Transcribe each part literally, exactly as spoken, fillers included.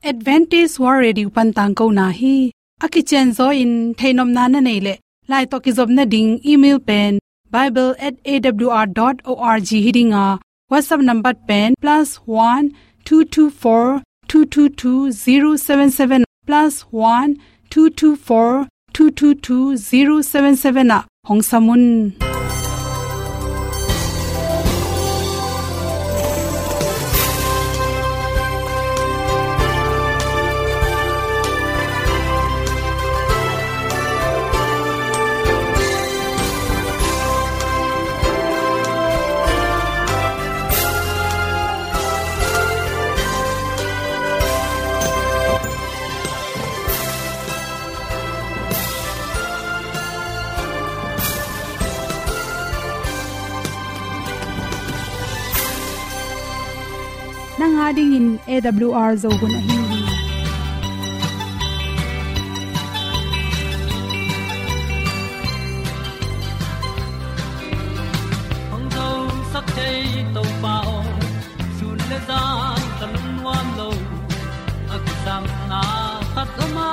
Adventist World Radio pan tangkona hi. A kicianzaw in theihnopna na neih leh, lai tawh kizopna ding email pen bible at A W R dot org hi ding a, WhatsApp number pen plus one two two four two two two zero seven seven, plus one two two four two two two zero seven seven ah hong sam un. Nang a dingin A W R Zo hun ahi hi. Hong zosak thei Topa aw, sun le zan ka lungnuam lo. A kisapna khat om a,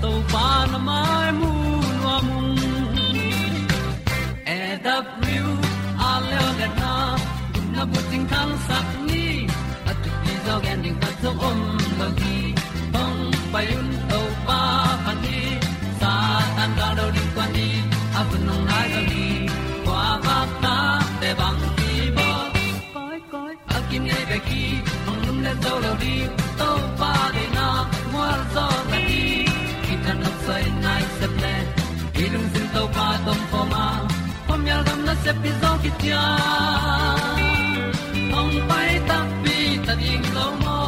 Topa na mai mu nuam ung. A W R Zo hun na bucing thangsak ni, a thupi zaw gen ding khat zong om lo hi. Hong pai un Topa phat ni, Satan gal do ding kua ni, a hun hong nai zo hi. Kua bak ta te bang ki bawl. Koi, koi, a kinei bek hi, hong lum le zo lo ding, Topa deihna mual zaw na hi. Kitang nok soi nai sep le, i lungsim Topa tawh om khawm a, khuamial gam nasep pi zaw kician, hong pai takpi ta ding lo maw.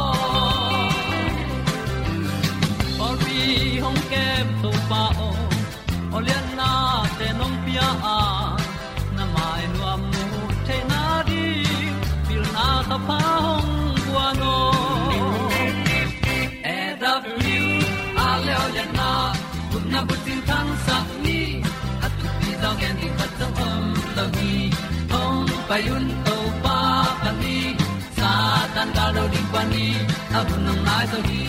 Pawlpi hong kem Topa aw, aw liannate nong pia a, na mai nuam mu theihna ding, pilna thapha hong guan aw. A W R Zo hun na bucing thangsak ni, a thupi zaw gen ding khat zong om lo hi. Hong pai un Topa phat ni, Satan gal do ding kua ni, a hun hong nai zo hi.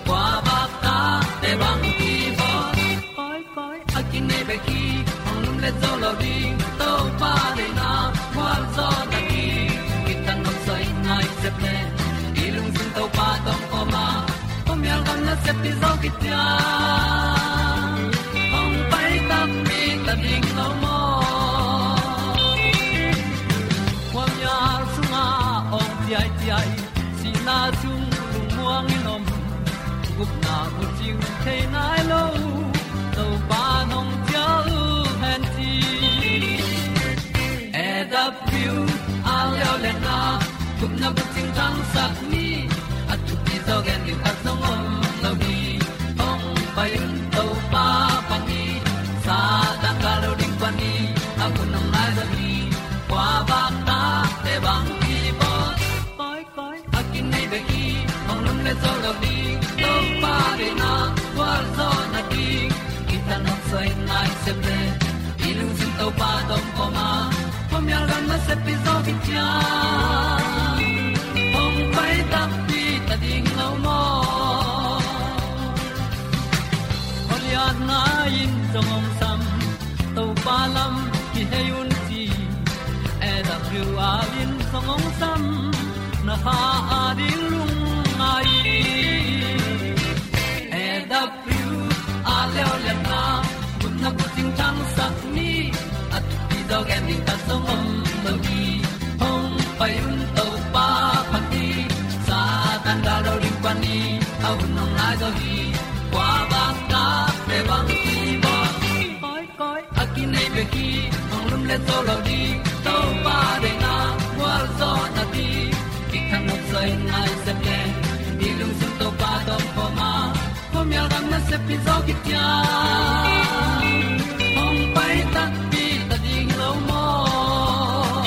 Kua bak ta te bang ki bawl. Koi, koi, a kinei bek hi, hong lum le zo lo ding, Topa deihna mual zaw na hi. Kitang nok soi nai sep le, i lungsim Topa tawh om khawm a, khuamial gam nasep pi zaw kician, hong pai takpi ta ding lo maw. Khuamial sungah awng ciaiciai, sihna sung lungmuang in om, gupna bucing thei nai lo, Topa nong cial hen ci. A W R Zo hun na gupna bucing thangsak ni, a thupi zaw gen ding khat zong om lo hi. Hong pai un Topa phat ni, Satan gal do ding kua ni, a hun hong nai zo hi. Kua bak ta te bang ki bawl. Koi, koi, a kinei bek hi, hong lum le zo lo ding, Topa deihna mual zaw na hi. Kitang nok soi nai sep le, i lungsim Topa tawh om khawm a, khuamial gam nasep pi zaw kician, hong pai takpi ta ding lo maw. Aw liatna in zong hong sam, Topa lam kihei un ci. A W R in zong hong sam, na kha a ding lungngai. A W R Zo hun na bucing thangsak ni, a thupi zaw gen ding khat zong om lo hi. Hong pai un Topa phat ni, Satan gal do ding kua ni, a hun hong nai zo hi. Kua bak ta te bang ki bawl. Koi, koi, a kinei bek hi, hong lum le zo lo ding, Topa deihna mual zaw na hi. Kitang nok soi nai sep le, i lungsim Topa tawh om khawm a, khuamial gam nasep pi zaw kician, hong pai takpi ta ding lo maw.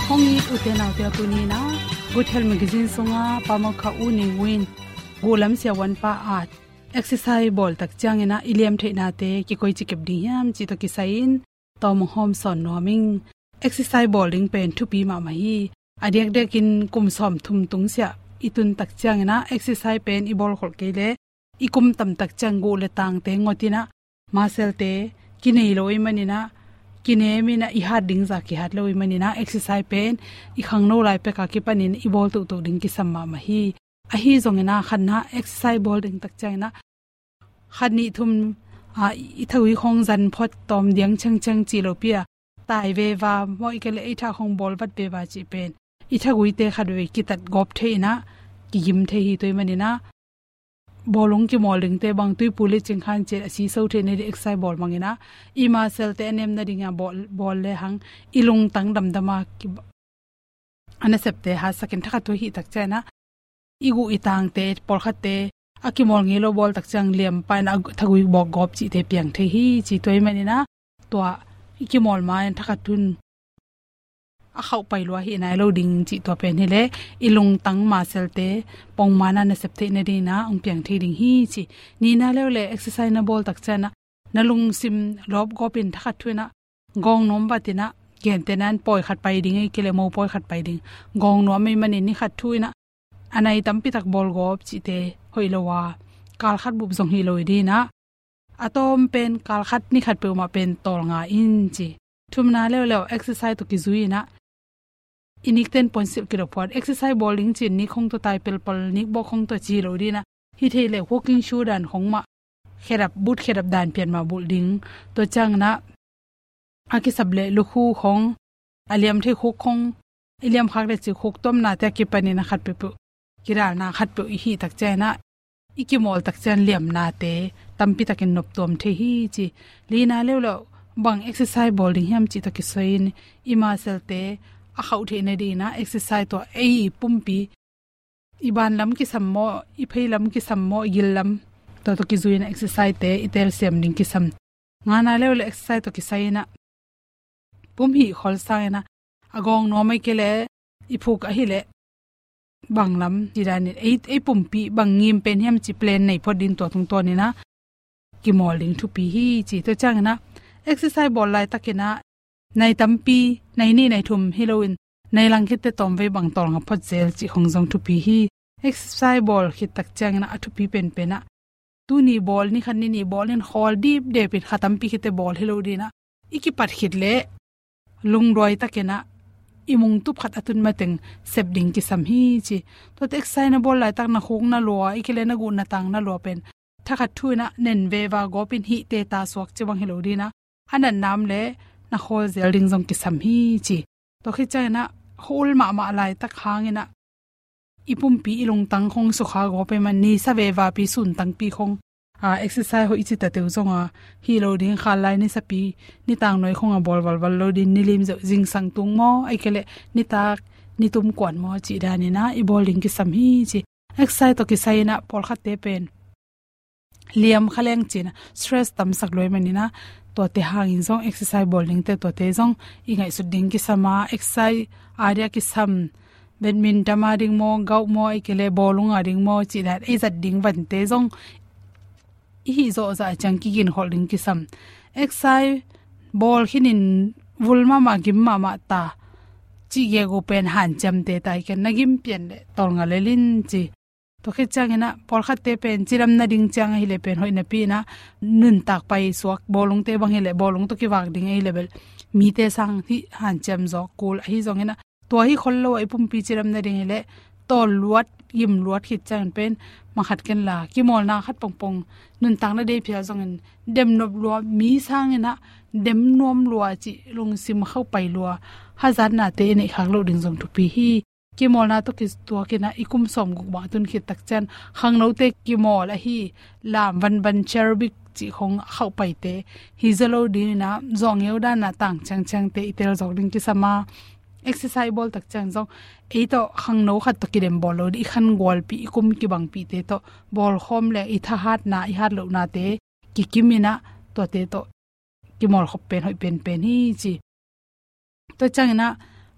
Hong it u te nau te, tuni in ah Good Health Magazine sungah Pa Mokha U Nei Win, Gulam Sia Wan Pa at exercise bawl tak ciangin ah i liam theihnate kikoici kep ding hiam cih tawh kisai in tawm hong hawm sawn nuam ing. Exercise bawl ding pen thupi mahmah hi. A diakdiakin kum sawmthum tung siah i tun tak ciangin ah exercise pen i bawl khol kei leh i kum tam tak ciang guh le tangte ngot in ah, muscle-te kinei lo ahih manin ah, kinem in ah i hat ding zah kihat lo ahih manin ah, exercise pen i khangno lai pek a kipanin i bawl tohtoh ding kisam mahmah hi. Ahi zongin ah khatna exercise bawl ding tak ciangin ah khat nih thum, ah, i thagui khawng zan phot tawm diang ciangciang ci lo pi a, tai veva maw, ahih kei leh ei tha khawng bawl vat veva cih pen i thaguite khat vei kitat gawp thei in ah, kigim thei hi. Tua ahih manin ah bawlung kimawl dingte bang tuipu le cingkhan ciat a siso theihna ding exercise bawl mangin ah, i muscle-te a nem nading a bawl, bawl lehang i lungtang damdam a ki, a nasepte hatsakin thakhat thu ahih tak ciangin ah, i guh i tangte, pawlkhatte a kimawl ngei lo bawl tak ciang liam pah in ah a thagui bawk gawp cihte piang thei hi ci. Tua ahih manin ah tua i kimawl ma-in thakhat thu in a khauh pai lua hi nai lo ding cih tua pen hi leh i lungtang muscle-te pongman a nasep theihna dingin ah hong piang thei ding hi ci. Nihna leuleu exercise na bawl tak ciangin ah na lungsim lawp gawp in thakhat thu in ah gawng nuam vat in ah, gentehna-in pawi khat pai ding ahih kei leh mopawi khat pai ding, gawng nuam ahih manin ni khat thu in ah a nai tampi tak bawl gawp cihte hoih lo a, kal khat bup zong hi lo hi ding in ah, a tawm pen kal khat ni khat peuhmah pen tawlnga in ci. Thumna leuleu exercise tawh kizui in ah, i nikten puansilh kidop phot, exercise bawl ding ci-in nik khawng tawh tai pelpal, nik bawk khawng tawh ci lo ding in ah, hi thei leh walking shoe dan khawng mah, khedap, boot khedap dan pian mah bulh ding. Tua ciangin ah a kisap leh lukhu khawng, a liam thei khuk khawng, i liam khak leh cih khuk tuamnate a kipanin a khat peuhpeuh, kidalna khat peuh i hih tak ciangin ah, i kimawl tak ciang liamnate tampi takin noptuam thei hi ci. Lina leuleu bang exercise bawl ding hiam cih tawh kisai-in i muscle-te a khauh theihna dingin ah exercise tua ei pumpi, i ban lam kisam maw, i phei lam kisam maw, i gil lam, tua tawh kizui-in ah exercise-te i telsiam ding kisam. Ngana leuleu exercise tawh kisai-in ah pum hih khol sangin ah, a gawng nuam ahih kei leh i phuk ahih leh bang lam cih danin ei, ei pumpi bang ngim pen hiam cih plan nei phot ding, tua tungtawnin ah kimawl ding thupi hi ci. Tua ciangin ah exercise bawl laitakin ah nai tampi, nai nih nai thum hi loin nai lang khitte tawmvei bang tawlnga phot zel cih khawng zong thupi hi. Exercise bawl khit tak ciangin ah a thupi penpen ah tuni bawl, ni khat ni nih bawl in khawl dipdep in kha tampi khitte bawl hi lo ding in ah, i kipat khit leh lungduai takin ah i mungtup khat a tun mateng sep ding kisam hi ci. Tuate exercise na bawl laitak na khuk na lua, ahih kei leh na guh na tang na lua pen thakhat thu in ah nen veva gawp in hih teta suak ci bang hi lo ding in ah, a natna om leh na khawl zel ding zong kisam hi ci. Tua khit ciangin ah khua-ul mahmah laitak hangin ah i pumpi i lungtang khawng sukha gawp ahih man, nisa vevapi suntangpi khawng, a, exercise hoih i cih tateu zong a, hi lo ding, khatlai nisapi nitang nuai khawng a bawl valval lo ding, nilim zeuh zingsang tung maw, ahih kei leh nitak nitum kuan maw cih danin ah i bawl ding kisam hi ci. Exercise tawh kisai-in ah pawlkhatte pen liam kha leng ci-in ah stress tamsak lua ahih manin ah, tuate hangin zong exercise bawl dingte tuate zong i ngaihsut ding kisam a, exercise a dia kisam, badminton a ding maw, golf maw, ahih kei leh bawlung a ding maw cih dan ei zat ding vante zong i hih zawh zah ciang kiginkholh ding kisam. Exercise bawl khinin vul mahmah, gim mahmah ta cih gegu pen hanciamte ta hi ken, na gim pian leh tawlnga lel in ci. Tua khit ciangin ah pawlkhatte pen cidam nading ciang ahih leh pen hoih napi-in ah nuntak paisuak, bawlungte bang hi leh bawlung tawh kivak ding ahih leh bel mite sang hih hanciam zawk kul, ahi zongin ah tua hi khol lo a i pumpi cidam nading hi leh tawl luat, gim luat khit ciangin pen mangkhat ken la kimawlna khat pongpong, nuntakna dei phial zongin dem nop lua, mi sangin ah dem nuam lua cih lungsim khauh pai lua, hazatnate i neih khak loh ding zong thupi hi. Kimawlna tawh kituakin ah i kum sawmguk bang a tun khit tak ciang khangnote kimawl ahi lam, vanvan, aerobic cih khawng a khauh paite hi zaw lo dingin ah, zawh ngeu dan a tang ciangciangte i tel zawk ding kisam a, exercise bawl tak ciang zong ei tawh khangno khat tawh kidem bawl lo ding, i khangualpih, i kum kibangpihte tawh bawlkhawm leh i thahatna, i hatlohnate kikim in ah tuate tawh kimawl khop pen hoih penpen hi ci. Tua ciangin ah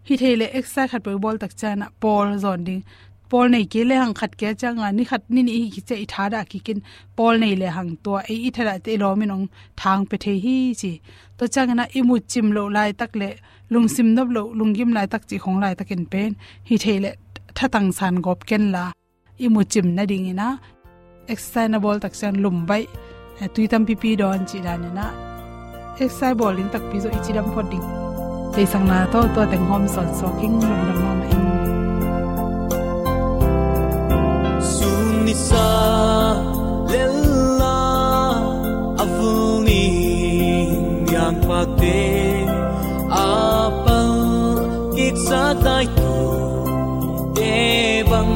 hi thei leh exercise khat peuh i bawl tak ciangin ah pawl zawn ding. Pawl nei kei lehang khat kia ciang a, ni khat ni nih hi kik ciang i thadah kik in, pawl nei lehang tua ei i thadahte i lawm in hong thang pia thei hi ci. Tua ciangin ah i mut cim loh laitak leh lungsim nop loh, lunggim laitak cih khawng laitakin pen hi thei leh thatang san gawp kenla, i mucim nadingin ah exercise na bawl tak ciang lum baih, eh, tui tampipi dawn cih danin ah exercise bawl ding takpi zawh i cidam phot ding. Theihsakna tawh tua teng hawm sawn suak ing. Lungdam mahmah ing. Sun nisa lella a vul ning niangpakte a pal kiksa dai tu te bang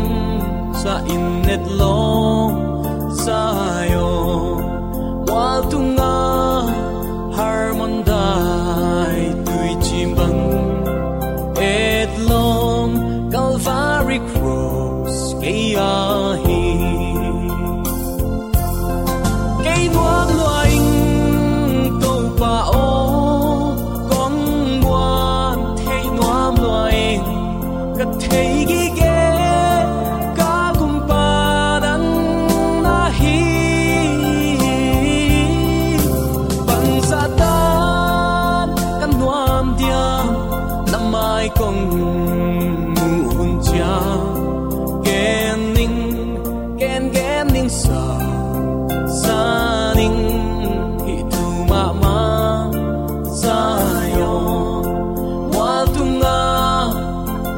sa in et lawm Zion mual tunga harmon dai tui cim bang et lawm Calvary Cross kei a hi. Kei nuam lua ing Topa aw, kong muan thei nuam lua ing, ka thei gige ka kumpa nang na hi. Bangzah tan ka nuam diam, na mai kong muh hun ciang gen ning, gen gen ning sa sa ning hi tu mahmah. Zion mual tunga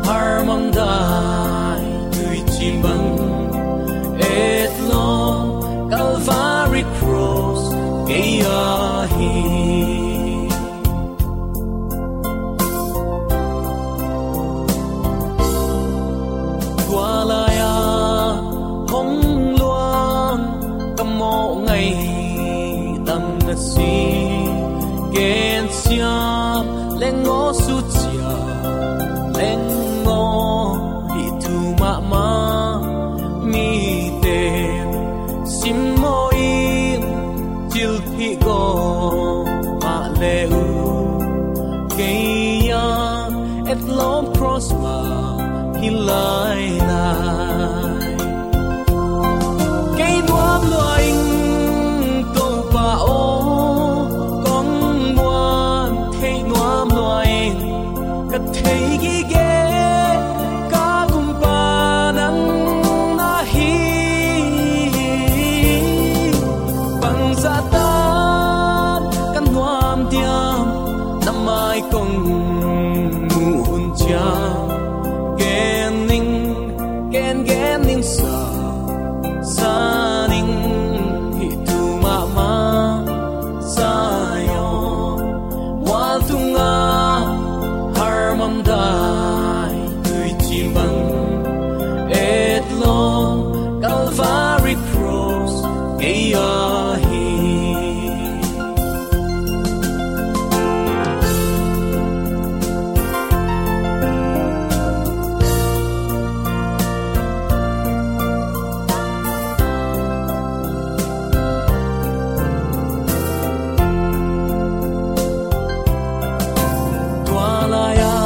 harmon dai tui cim bang et lawm Calvary Cross kei a hi. Tua lai-a hong luang ka mawh ngaih tam na si, gensiam leng aw, sucia leng aw, hi tu mahmah. Mite simmawh in cilphih gawp mah le uh, kei a et lawm cross mah hi lailai. Kei nuam lua ing Topa aw, kong muan thei nuam lua ing, ka thei gige ka kumpa nang na hi. Bangzah tan ka nuam diam, na mai kong muh hun ciang gen ning, gen gen ning sa sa ning hi tu mahmah. Zion mual tunga harmon dai tui cim bang et lawm Calvary Cross kei a hi. Tua lai-a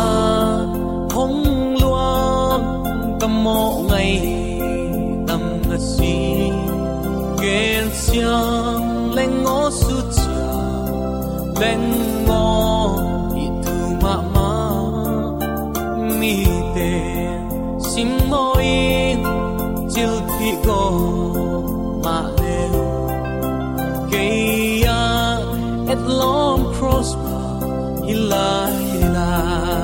hong luang ka mawh ngaih tam na si, gensiam leng aw, sucia leng aw, hi tu mahmah. Mite simmawh in cilphih gawp mah le uh, kei a et lawm cross mah hi lailai.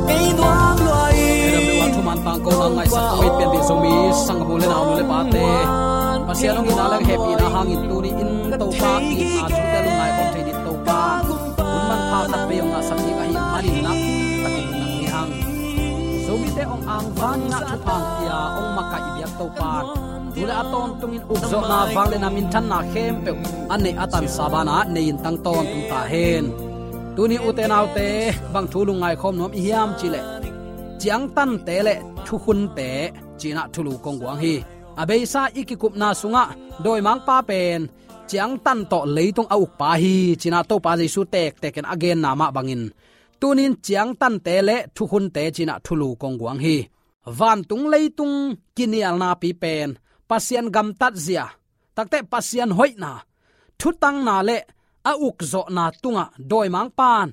Kei nuam lua ing. Kei dam lua thuman tangko nang ngaihsak kong it pian dih Zomi sanggamnu le naunu le pate, Pasian hong itna le hehpihna hangin tuni in Topa itna thute lungngai khawm thei dih Topa hun manpha khat vei hong ngahsak ding ahih manin nakpi takin lungdam hi hang. Zomite hong angvan ngah thupha hong pia hong makaih i biak Topa, tu le a tawntungin ukzawhna, vangliatna, minthanna khempeuh a neih a tansa banah nei in tang tawntung ta hen. Tuni ute naute, bang thu lungngai khawm nuam i hiam cih leh, ciangtante le thukhunte ci-in ah thulu kong guang hi. A beisa i kikupna sungah dawimangpa pen ciangtan tawh leitung a ukpa hi ci-in ah Topa Jesu tektekin a genna mah bangin, tunin ciangtante le thukhunte ci-in ah thulu kong guang hi. Vantung leitung kinialnapi pen Pasian gamtatzia, takte Pasian hoihna, thutanna le a ukzawhna tungah dawimangpa'n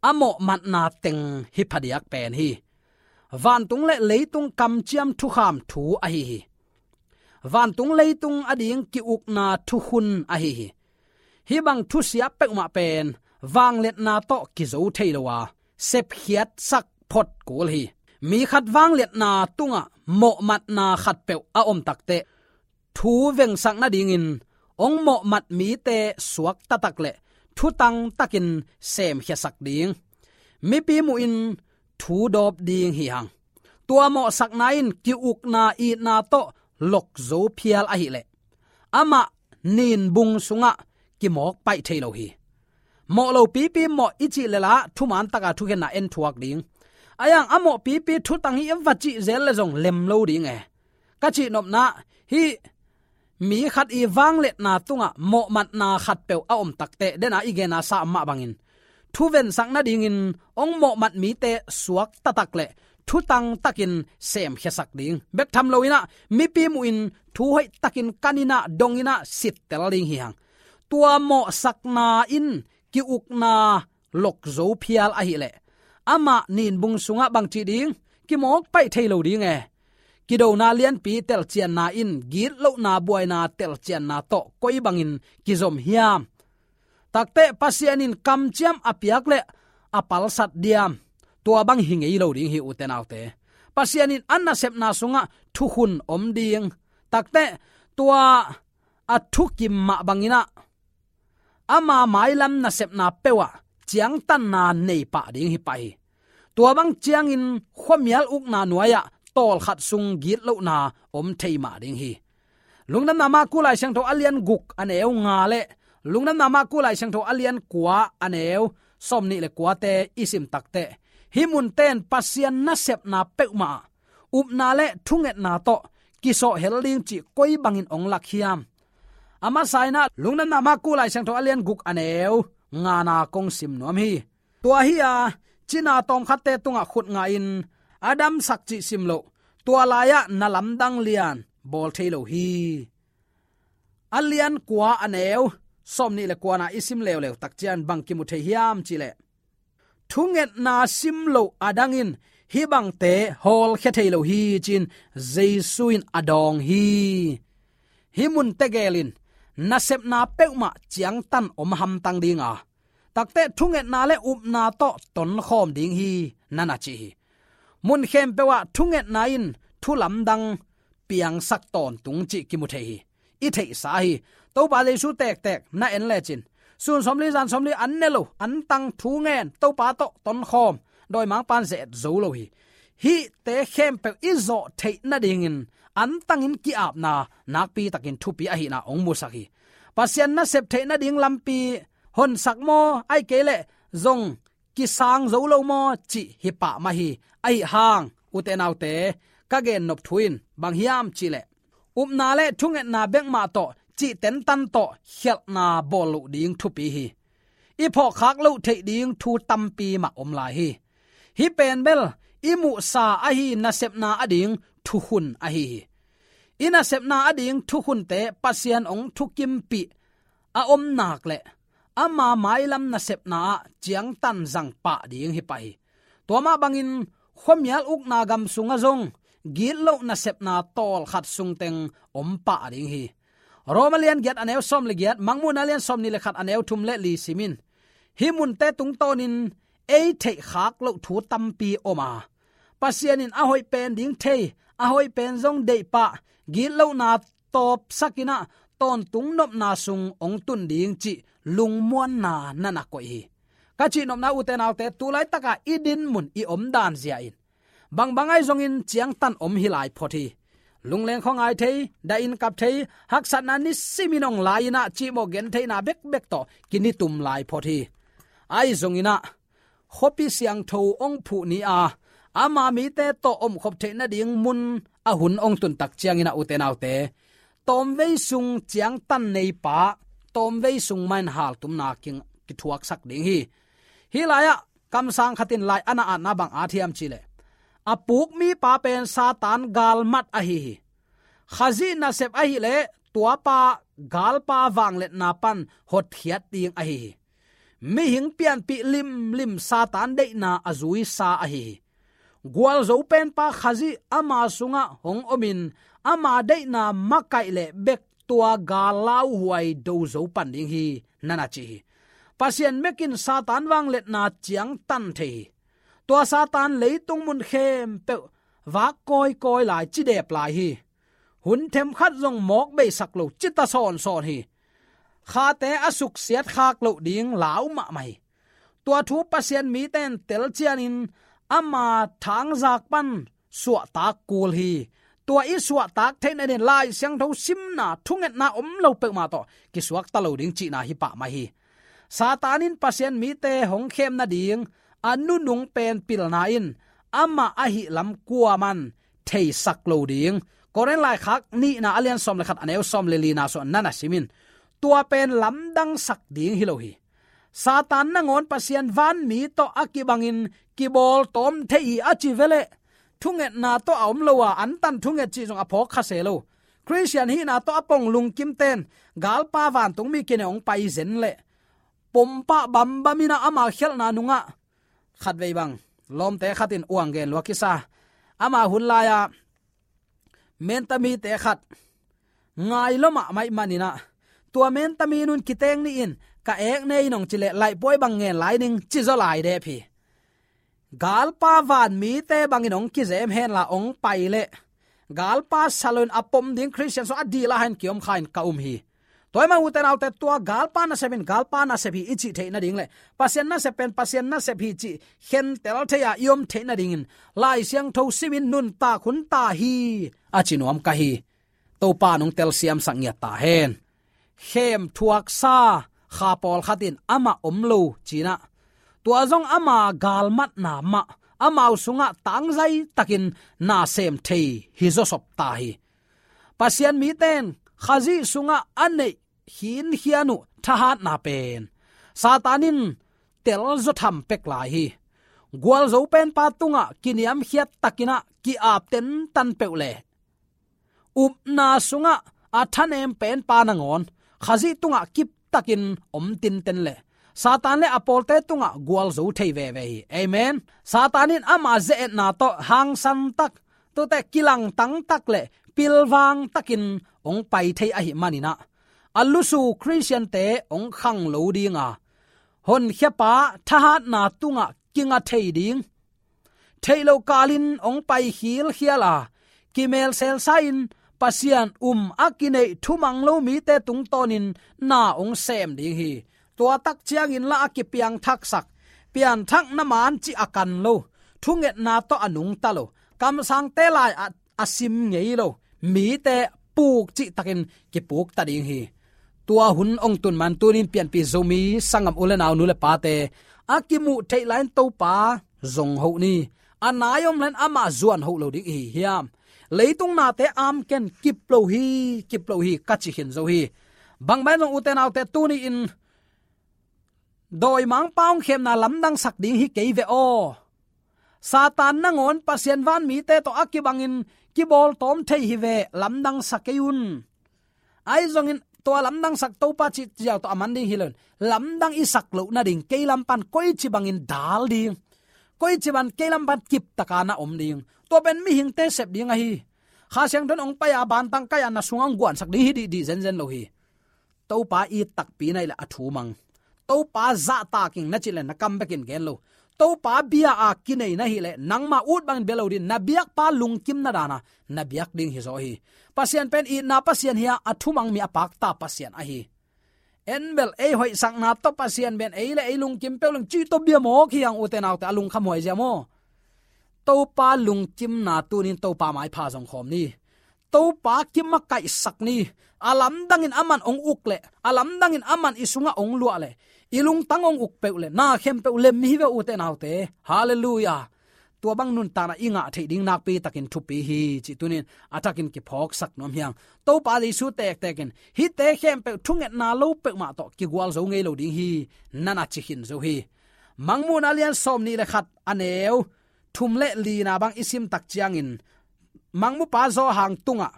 a mawhmatna teng hi phadiak pen hi. vantung le leitung kamciam thukham thu ahi hi. Vantung leitung ading ki-ukna thukhun ahi hi. Hih bang thusia peuhmah pen vangliatna tawh kizo thei lo a, sepkhiatsak phot kul hi. Mi khat vangliatna tungah mawhmatna khatpeuh a om takteh, thu vengsak nadingin hong mawhmat mite suakta tak le thutang takin semkhiasak ding, mipi muhin thu dawp ding hi hang. Tua mawhsakna in ki-ukna itna tawh lokzo phial ahileh amah ninbung sungah kimawk paih thei lo hi. Mawh lo pipi mawh i cih leh la thuman taka thukhenna en thuak ding. A yang a mawh pipi thutang hi i va cih zel le zong lem lo ding e. Ka cihnopna, hih mi khat i vangliatna tungah mawhmatna khatpeuh a om takteh, dena i gensa mah bangin thu vengsak nadingin hong mawhmat mite suakta tak le thutang takin semkhiasak ding. Bek tham loin ah mipi muhin thu hoih takin kanin ah dongin ah sittel ding hi hang. Tua mawhsakna in ki-ukna lokzo phial ahileh amah ninbung sungah bangci ding, kimawk paih thei lo ding e. Kidona lianpi telcianna in gitlohna buaina telcianna tawh koi bangin kizom hiam? Takteh Pasian in kamciam a piak le a palsat diam? Tua bang hi ngei lo ding hi, ute naute. Pasian in a nasepna sungah thukhun om ding. Takteh tua a thukim mah bangin ah ama mailam nasepna peuh ah ciangtanna nei pah ding hi pah hi. Tua bang ciangin khuamial ukna nuai-ah tawlkhat sung gitlohna om thei mah ding hi. Lungdamna Marku Lai Siangtho a lian guk a neu nga le Lungdamna Marku Lai Siangtho a lian kua a neu sawmnih le kuate i sim takteh, hih munte in Pasian nasepna peuhmah ah upna le thungetna tawh kisawhhel ding cih koi bangin hong lak hiam? A masa in ah Lungdamna Marku Lai Siangtho a lian guk a neu ngana kong sim nuam hi. Tua hi-a cina tawmkhatte tungah khut ngahin a damsak cih sim loh, tua lai-ah na lamdang lian bawl thei lo hi. A lian kua a neu sawmnih le kuana i sim leuleu tak ciang bang kimu thei hiam cih leh, thungetna sim loh adangin hih bangte hawlkhia thei lo hi ci-in Jesu in a dawng hi. Hih munte gelin nasepna peuhmah ciangtan om hamtang ding a, takteh thungetna le upna tawh tonkhawm ding hi, na na ci hi. Mun khempeuh ah thungetna in thu lamdang piangsak tawntung cih kimu thei hi. I theihsa hi. Topa Jesu tektek na en lecin, sun sawmli zan sawmli an ne lo, an tang, thu ngen, Topa tawh tonkhawm, dawimangpa'n ze-et zo lo hi. Hihte khempeuh i zawh theih nadingin an tangin ki-apna nakpi takin thupi ahihna hong musak hi. Pasian nasep theih nading lampi honsak maw, ahih kei leh zong kisang zo lo maw cih hi pah mah hi. Ahi hang, ute naute, ka gennop thu in bang hiam cih leh, upna le thungetna bek mah tawh cihtentan tawh khialhna bawl loh ding thupi hi. I phawkkhak loh theih ding thu tampi mah om lai hi. Hih pen bel i muhsa ahi nasepna ading thukhun ahi hi. I nasepna ading thukhunte Pasian hong thukimpih a om nak leh ama mailam nasepna ah ciangtan zang pah ding hi pah hi. Tua mah bangin khuamial ukna gam sungah zong gitloh nasepna tawlkhat sungteng om pah ding hi. Rom a lian giat a neu sawm le giat, Mangmuhna a lian sawmnih le khat a neu thum le li sim in. Hih munte tungtawnin ei theihkhak loh thu tampi om a, Pasian in a hoih pen ding thei, a hoih pen zong deih pah, gitlohna tawpsak in ah tawntung nopna sung hong tun ding cih lungmuanna na na koih hi. Ka cihnopna, ute naute, tu laitakah i dinmun, i omdan zia in bangbang ahi zongin ciangtan om hi lai phot hi. Lungleng khuangai thei, dah in kap thei, haksatna nisimin hong lai in ah cihmawh gentheihna bekbek tawh kinitum lai phot hi. Ahi zongin ah khuapi siangtho hong phuh ni a, ama mite tawh omkhop theih nading mun a hun hong tun tak ciangin ah, ute naute, tawmvei sung ciangtan neipa tawmvei sung mah in haltumna ki, kithuaksak ding hi. Hih lai-ah kamsang khat in lai a na atna bang at hiam cih leh, a puk mipa pen Satan galmat ahi hi. Khazih nasep ahih leh tuapa galpa vangliatna pan hotkhiat ding ahi hi. Mihing pianpih limlim Satan deihna a zuisa ahi hi. Gualzo penpa Khazih ama sungah hong omin ama deihna makaih leh bek tua gal lauhuai do zo pan ding hi, na na ci hi. Pasian mekin Satan vangliatna ciangtan thei hi. Tua Satan leitung mun khempeuh vak kawikawi lai, cidep lai hi. Hun themkhat zong mawk beisak lo, cita sawnsawn hi. Khate a suksiat khak loh ding lau mahmah hi. Tua thu Pasian mite in tel ciangin ama thangzak pan suahtak kul hi. Tua i suahtak theihna dingin Lai Siangtho simna, thungetna om lo peuhmah tawh kisuakta lo ding cihna hi pah mai hi. Satan in Pasian mite hong khem nading a nunung pen pilna in amah ahih lam kuaman theisak lo ding. Korin laikhak nihna a lian sawm le khat, a neu sawm le lina sungah na na sim in, tua pen lamdangsak ding hi lo hi. Satan nangawn Pasian vanmi tawh a kibangin kibawltawm thei hi a ci ve leh, thungetna tawh a om lo a, antan thunget cih zong a phawk kha se lo. Khristian hihna tawh a pong lungkimten galpa vantungmi kinei hong pai zen leh pompah bambam in ah ama khialhna nungah khatvei bang lawmte khat in uang gen lua kisa. Ama hun lai-ah mentamite khat ngai lua mahmah ahih manin ah, tua mentami nun kiteng ni in, ka ek ne in hong ci leh laihpuai bang ngen lai ning, ci zaw lai dep hi. Galpa vanmite bangin hong kizem henla hong pai leh, galpa sa loin a pom ding Khristian sung a dil a hain kiom kha in ka um hi. Tua ahih manin ute naute, tua galpa nasep in galpa nasep hi i cih theih nading leh Pasian nasep pen Pasian nasep hi cih khentel thei-a i om theih nadingin Lai Siangtho simin nuntak hun ta hi, a ci nuam ka hi. Topa nong telsiamsak ngiat ta hen. Khem thuaksa kha pawlkhat in amah om lo ci-in ah, tua zong ama galmatna mah, amau sungah tangzai takin na sem thei hi zawsop ta hi. Pasian mite in Khazih sungah a neih khinkhian uh thahatna pen Satan in telzaw tham pek lai hi. Gualzo penpa tungah kiniamkhiat takin ah ki-ap tentan peuh leh, upna sungah a thanem penpa nangawn Khazih tungah kiptakin om tinten leh, Satan le a pawlte tungah gualzo thei veve hi. Amen. Satan in ama ze-etna tawh hangsan tak, tuate kilangtang tak le pilvang takin hong pai thei ahih manin ah, a lusu Khristiante hong khang lo ding a, honkhiapa thahatna tungah kinga thei ding, theih loh kalin hong pai khilkhial a, kimelselsa-in Pasian um a kineih thumang lo mite tungtawnin na hong sem ding hi. Tua tak ciangin lah a kipiangthaksak, pianthakna man cih a kan lo, thungetna tawh a nungta lo, kamsangte lai-ah a sim ngei lo mite puk cihtakin kipukta ding hi. Tua hun hong tun man tunin pianpih Zomi sanggam u le nau, nu le pate, a kimuh theih lai-in Topa zong hoh ni. A nai om lai-in amah zuan hoh lo ding i hi hiam? Leitung nate amken, kip lo hi, kip lo hi, ka ci khin zo hi. Bangbang zong ute naute, tuni-in dawimangpa hong khemna lamdangsak ding hi kei ve aw. Satan nangawn Pasian vanmite tawh a kibangin kibawltawm thei hi ve, lamdangsak kei un. Ahi zongin tua lamdangsak Topa cih ziau tawh a man ding hi loin, lamdang i sak loh nading kei lam pan koici bangin dal ding, koici bang kei lam pan kiptaka na om ding, tua pen mihingte sep ding ahi. Kha Siangtho in hong pai a, bantang kai-a na sungah hong guansak ding hi dihdih zenzen lo hi. Topa it takpi na hih leh a thu mang. Topa zahtak ing na cih leh na kam bekin gen lo. Topa bia a kinei na hih leh nangma ut bangin bia lo ding, na biakpa lungkimna dan a na biak ding hi zaw hi. Pasian pen itna Pasian hi a, a thumang mi a pakta Pasian ahi. En bel ei hoihsakna tawh Pasian pen ei le ei lungkim peuh leng cih tawh bia mawk hi hang, ute naute, a lungkhamhuai zia maw. Topa lungkimna tunin Topa maipha zong khawm ni. Topa kimakaihsak ni. A lamdangin aman hong uk leh, a lamdangin aman i sungah hong luah leh, i lungtang hong uk peuh leh, na khempeuh lem hi ve, ute naute. Halleluiah. Tua bang nuntakna i ngah theih ding nakpi takin thupi hi cih tunin a thakin kiphawksak nuam hi hang. Topa Jesu tektekin hihte khempeuh thungetna lo peuhmah tawh kigualzo ngei lo ding hi, na na ci khin zo hi. Mangmuhna lian sawmnih le khat, a neu thum le lina bang i sim tak ciangin, Mangmupa Johan tungah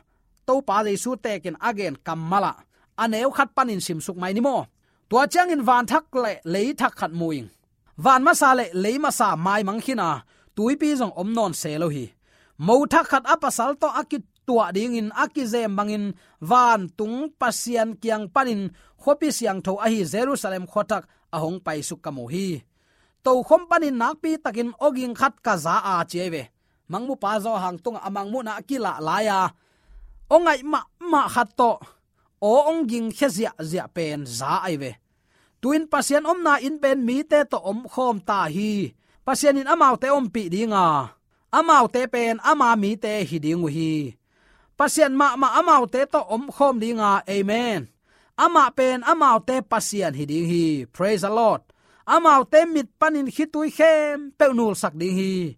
Topa Jesu tekin a gen kammal ah a neu khat panin simsuk mai ni maw. Tua ciangin van thak le lei thak khat mu ing. Van masa le lei masa maimang khin a, tuipi zong om nawn se lo hi. Mo thak khat a pasal tawh a kituah dingin a kizem bangin vantung Pasian kiang panin khuapi siangtho ahi Jerusalem khuathak a hong paisuk ka mu hi. Tokhom panin nakpi takin awging khat ka za a ci ahi ve. Mangmupa Zo Hang tungah a mangmuhna a kilah lai-a aw ngaih mahmah khat tawh aw hong gingkhia ziahziah pen za ahi ve. Tu-in Pasian omna inn pen mite tawh omkhawm ta hi. Pasian in amaute ompih dinga, amaute pen ama mite hi ding uh hi. Pasian mahmah amaute tawh omkhawm dinga, amen. Amah pen amaute Pasian hi ding hi. Praise the Lord. Amaute mit panin khitui khempeuh nulsak ding hi.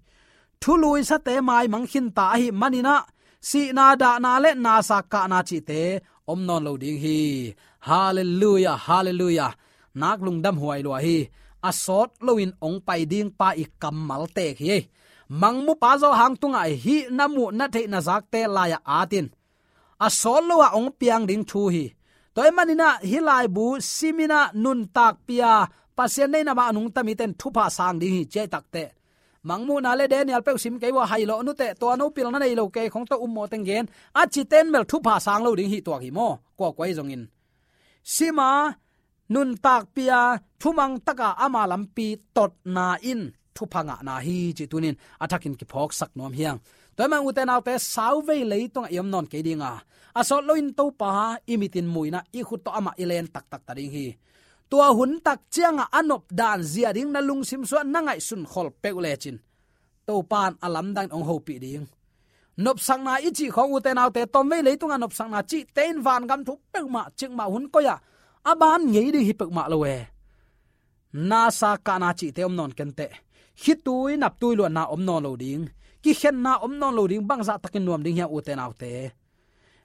Thuluisate maimang khinta ahih maninah sihna, dahna le nasa kahna cihte om nawn lo ding hi. Halleluiah, halleluiah. Nak lungdam huai lua hi. A sawt loin ong pai ding pa i kammal tek hi. Mangmupa Zo Hang tungah hih na muh na theih na zakte lai-ah atin a sawt lo-ah ong piang ding thu hi. Tua ahih maninah hih laibu siminah nuntakpia Pasian neihna mah a nungta mite in thupha sang ding hi ci ahih takteh, Mangmuhna le Daniel peuh sim kei uh a, hai lawh nuteh, tua no pilna nei lo kei khong tawh um mawh teng gen a cite in bel thupha sang lo ding hi tuak hi maw? Kuakua hi zongin sima nuntakpia thumang taka ama lampi totna in thupha ngahna hi cih tunin a thakin kiphawksak nuam hi hang. Tua ahih manin ute naute, sauvei leitungah i om nawn kei dinga, a sawt loin Topa i mitin muina i khut tawh amah i len taktak ta ding hi. Tua hun tak ciangah a nop dan zia ding na lungsim sungah na ngaihsun khol peuh lecin Topa in a lamdang in ong hopih ding. Nopsakna i cih khawng ute naute, tomvei leitungah nopsakna cihte in vangam thu peuhmah cikmah hun koi-ah a ban ngei ding hi peuhmah lo e. Nasa kahna cihte om nawn kenteh. Khitui naptui luanna om nawn lo ding. Kikhenna om nawn lo ding, bangzah takin nuam ding hiam ute naute?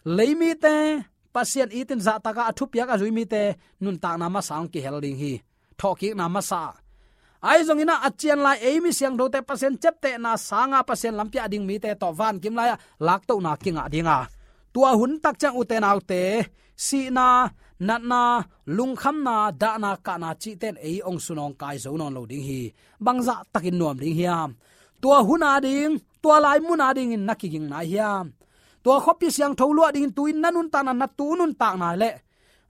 Leimite, Pasian itin zahtaka a thupiak a zui mite nuntakna masa hong kihel ding hi. Thawhkikna masa. Ahi zongin ah a cian lai ei mi siangthote Pasian ciaptehna sanga Pasian lampi ah ding mite tawh vankim lai-ah laktohna kingah dinga, tua hun tak ciang ute naute, sihna, natna, lungkhamna, dahna, kahna cihte in ei ong sunawngkai zo nawn lo ding hi. Bangzah takin nuam ding hiam? Tua hun a ding, tua lai mun a dingin na kiging nai hiam? Tua khuapi siangtho luah dingin tu-in na nuntakna, na tu nuntakna le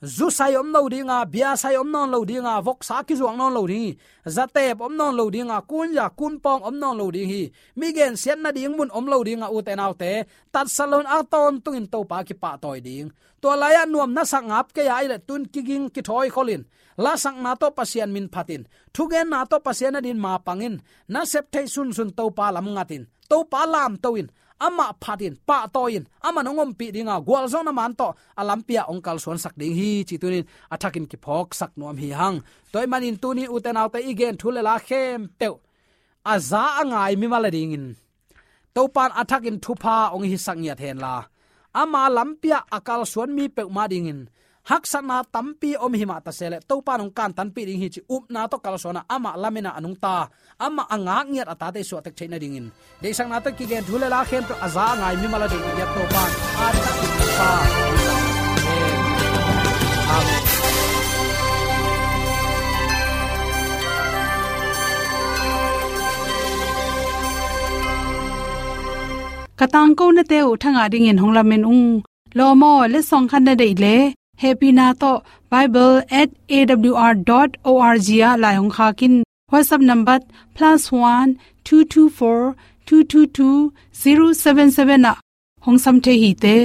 zusai om lo dinga, biasai om nawn lo dinga, voksa kizuak nawn lo ding hi. Zatep om nawn lo dinga, kunza kunpawng om nawn lo ding hi. Mi gensiat nading mun om lo dinga, ute naute, tatsat loin a tawntungin Topa kipahtawi ding. Tua lai-ah nuam na sak ngap kei a ahih leh tu-in kiging kithawi kholin, lasakna tawh Pasian min phatin, thugenna tawh Pasian adingin mapangin, na sep theih sunsun Topa lam ngatin, Topa lamto in, amah phatin, pahtawi-in, amah in hong ompih dinga, gualzawhna man tawh a lampi ah hong kalsuansak ding hi cih tunin a thakin kiphawksak nuam hi hang. Tua ahih manin tuni ute naute, i gen thu le la khempeuh a za a ngai mimal a dingin Topa in a thakin thupha hong hisak ngiat henla, ama lampi ah a kalsuan mi peuhmah dingin haksatna tampi om himah ta se leh Topa in hong kantanpih ding hi cih upna tawh kalsuan a, amah lamen a a nungta, amah a ngak ngiat a tate i suahtek theih nadingin, deihsakna tawh kigen thu le la khempeuh a za a ngai mimal a dingin, Topa in a thakin thupha hong hisak ngiat hen. Amen. Ka tangkonate uh thangah dingin hong lamen ung. Lawm aw, letsong khat na deih leh, hehpihna tawh bible at A W R dot O R G ah lai hong khak in. WhatsApp number plus one two two four two two two zero seven seven ah hong sam thei hi te.